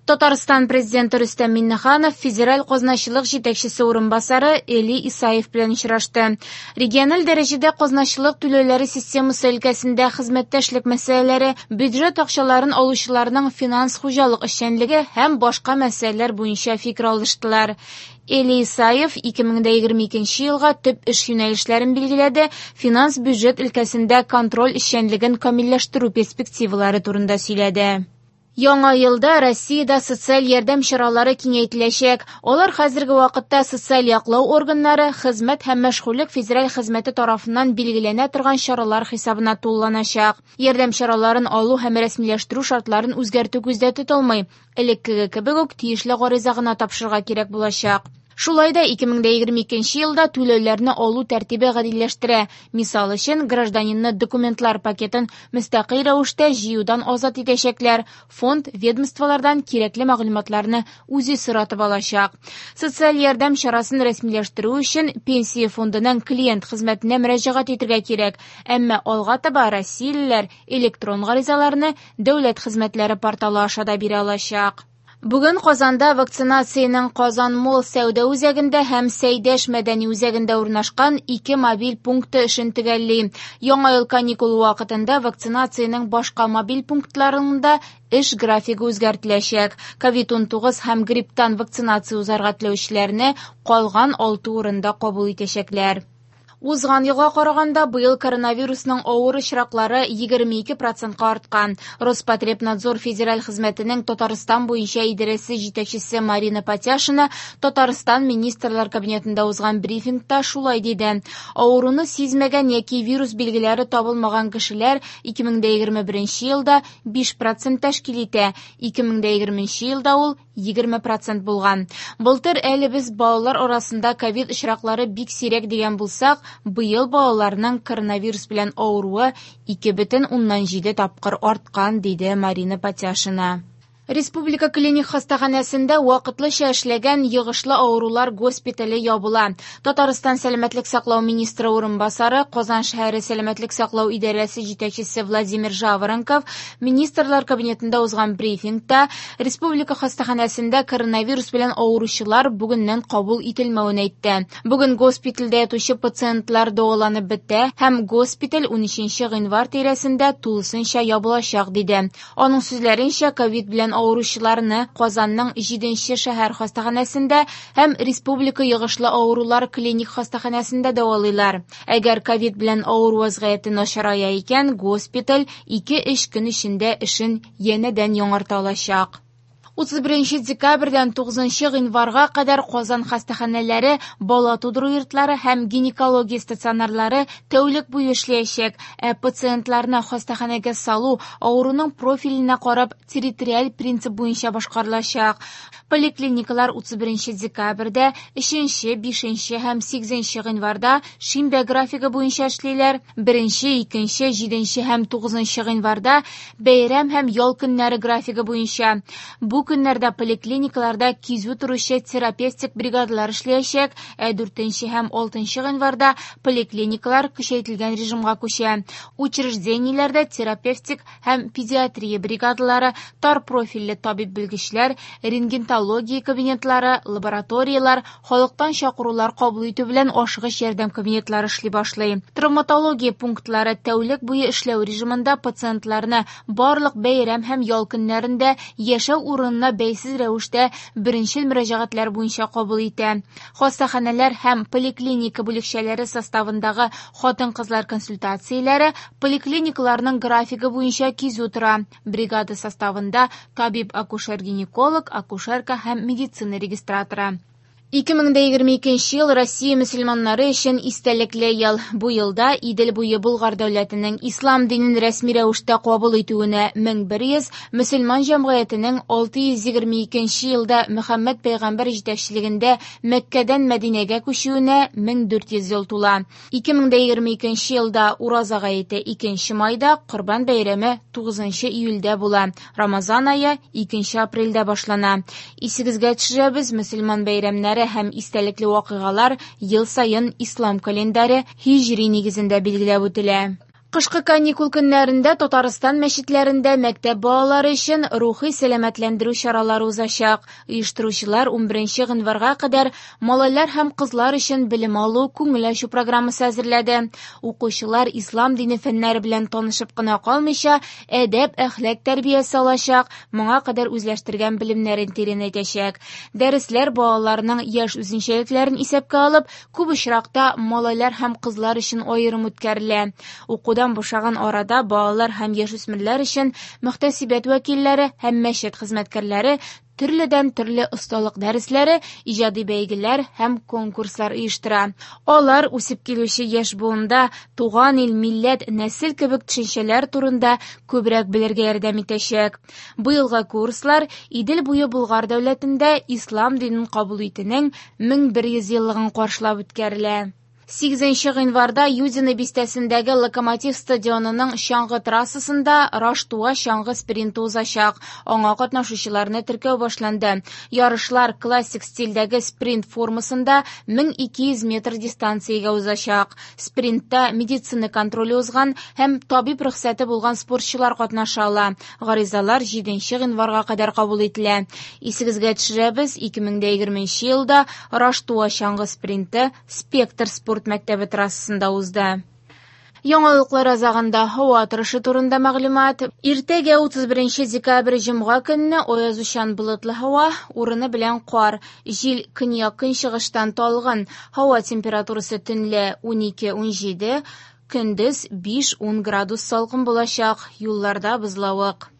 Татарстан Президенты Рөстәм Миңнеханов Федераль казначылык җитәкчесе урынбасары Эли Исаев белән очрашты. Региональ дәрәҗәдә казначылык түләүләре системасы өлкәсендә хезмәттәшлек мәсьәләләре, бюджет акчаларын алучыларның финанс-хуҗалык эшчәнлеге һәм башка мәсьәләләр буенча фикер алыштылар. Эли Исаев 2022 елга төп эш юнәлешләрен билгеләде, финанс-бюджет өлкәсендә контроль эшчәнлеген камилләштерү перспективалары турында сөйләде. Яңа елда Россиядә социаль ярдәм чаралары киңәйтеләчәк. Алар хәзерге вакытта социаль яклау органнары, хезмәт һәм мәшгульлек федераль хезмәте тарафыннан билгеләнә торган чаралар хисабына тулыланачак. Ярдәм чараларын алу һәм рәсмиләштерү шартларын үзгәртү күздә тотылмый. Элеккеге кебек үк тиешле гариза гына тапшырырга кирәк булачак. Шулай да 2022 елда түләүләрне алу тәртибе гадиләштерә. Мисал өчен, гражданинны документлар пакетын мөстәкыйль рәвештә җыюдан азат итәчәкләр. Фонд ведомстволардан кирәкле мәгълүматларны үзе соратып алачак. Социаль ярдәм чарасын рәсмиләштерү өчен пенсия фондының клиент хезмәтенә мөрәҗәгать итәргә кирәк. Әмма алга таба россиялеләр электрон гаризаларны дәүләт хезмәтләре порталы аша да бирә алачак. Бүген Казанда вакцинациянең Казан Молл сәүдә үзәгендә һәм Сәйдәш мәдәни үзәгендә урнашкан ике мобиль пункты эшен төгәлли. Яңа ел каникулы вакытында вакцинациянең башка мобиль пунктларында эш графигы үзгәртеләчәк. Ковид-19 һәм грипптан вакцинация узарга теләүчеләрне калган 6 урында кабул итәчәкләр. Узган елга караганда быел коронавирусның авыр очраклары 22%-ка арткан. Роспотребнадзор федераль хезмәтенең Татарстан буенча идарәсе җитәкчесе Марина Патяшина Татарстан Министрлар Кабинетында узган брифингта шулай диде. Авыруны сизмәгән яки вирус билгеләре табылмаган кешеләр 2021 елда 5% тәшкил итә, 2020 елда ул 20% булган. Былтыр әле без балалар арасында ковид очраклары бик сирәк дигән булсак, быел балаларның коронавирус белән авыруы 2,7 тапкыр арткан, диде Марина Патяшина. Республика клиник хастаханәсендә вакытлыча эшләгән йогышлы авырулар госпитале ябыла. Татарстан сәламәтлек саклау министры урынбасары, Казан шәһәре сәламәтлек саклау идарәсе җитәкчесе Владимир Жаворонков Министрлар кабинетында узган брифингта республика хастаханәсендә коронавирус белән авыручылар бүгеннән кабул ителмәвен әйтте. Бүген госпитальдә ятучы пациентлар дәваланып бетә һәм госпиталь 13 гыйнвар тирәсендә тулысынча ябылачак, диде. Аның сүзләренчә, ковид белән авыручыларны Казанның 7 шәһәр хастаханәсендә һәм Республика йогышлы авырулар клиник хастаханәсендә дәвалыйлар. Әгәр ковид белән авыру вазгыяте начарая икән, госпиталь 2-3 көн эчендә эшен янәдән яңарта алачак. 31 декабрьдән 9 гыйнварга кадәр Казан хастаханәләре, бала тудыру йортлары һәм гинекология стационарлары тәүлек буе эшләячәк, ә пациентларны хастаханәгә салу авыруның профиленә карап территориаль принцип буенча башкарылачак. Поликлиникалар 31 декабрьдә, 3, 5 һәм 8 гыйнварда шимбә графигы буенча эшлиләр, 1, 2, 7 һәм 9 гыйнварда бәйрәм һәм ял көннәре графигы буенча. Бу көннәрдә поликлиникаларда кизү торучы терапевтик бригадалар эшләячәк, ә 4 һәм 6 гыйнварда поликлиникалар көчәйтелгән режимга күчә. Учреждениеләрдә терапевтик һәм педиатрия бригадалары, тар профильле табиб-белгечләр, рентгенология кабинетлары, лабораторияләр, халыктан чакырулар кабул итү белән ашыгыч ярдәм кабинетлары эшли башлый. Травматология пунктлары тәүлек буе эшләү режимында пациентларны барлык бәйрәм һәм ял көннәрендә яшәү урынына бәйсез рәвештә беренчел мөрәҗәгатьләр буенча кабул итә. Хастаханәләр һәм поликлиника бүлекчәләре составындагы хатын-кызлар консультацияләре поликлиникаларның графигы буенча кизү тора. Бригада составында табиб-акушер-гинеколог, акушерка һәм медицина регистраторы. 2022 ел Россия мөселманнары өчен истәлекле ел. Бу елда Идел буе Болгар дәүләтенең ислам динен рәсми рәвештә кабул итүенә 1100, мөселман җәмгыятенең 622 елда Мөхәммәд пәйгамбәр җитәкчелегендә Мәккәдән Мәдинәгә күчүенә 1400 ел тула. 2022 елда Ураза гаете 2 майда, Корбан бәйрәме 9 июльдә була. Рамазан ае 2 апрельдә башлана. Исегезгә төшерәбез, мөселман бәйрәмнәре һәм истәлекле вакыйгалар ел саен ислам календаре һиҗри нигезендә билгеләп үтелә. Кышкы каникул көннәрендә Татарстан мәчетләрендә мәктәп балалары өчен рухи сәламәтләндерү чаралары узачак. Оештыручылар 11 гыйнварга кадәр малайлар һәм кызлар өчен белем алу, күңел ачу программасы әзерләде. Укучылар ислам дине фәннәре белән танышып кына калмыйча, әдәп-әхлак тәрбиясе алачак, моңа кадәр үзләштергән белемнәрен тирәнәйтәчәк. Дәресләр балаларның яшь үзенчәлекләрен исәпкә алып, күп очракта малайлар һәм кызлар өчен аерым үткәрелә. Укудан бушаган арада балалар һәм яшүсмерләр өчен мөхтәсибәт вәкилләре һәм мәчет хезмәткәрләре төрледән-төрле осталык дәресләре, иҗади бәйгеләр һәм конкурслар оештыра. Алар үсеп килүче яшь буында туган ил, милләт, нәсел кебек төшенчәләр турында күбрәк белергә ярдәм итәчәк. Быелгы курслар Идел буе Болгар дәүләтендә ислам динен кабул итүнең 1100 еллыгын каршылап үткәрелә. 8 гыйнварда Юдино бистәсендәге Локомотив стадионының чаңгы трассасында Раштуа чаңгы спринты узачак. Аңа катнашучыларны теркәү башланды. Ярышлар классик стильдәге спринт формасында 1200 метр дистанциягә узачак. Спринтта медицина контроле узган һәм табиб рөхсәте булган спортчылар катнаша ала. Гаризалар 7 гыйнварга кадәр кабул ителә. Исегезгә төшерәбез, 2020 елда Раштуа чаңгы спринты Спектр спорт мәктәбе трассасында узды. Яңалыклар азагында һава торышы турында мәгълүмат. Иртәгә 31 декабрь җомга көнне аязучан болытлы һава, урыны белән кар. Җил көньяк-көнчыгыштан талгын. Һава температурасы төнлә 12-17, көндез 5-10 градус салкын булачак. Юлларда бозлавык.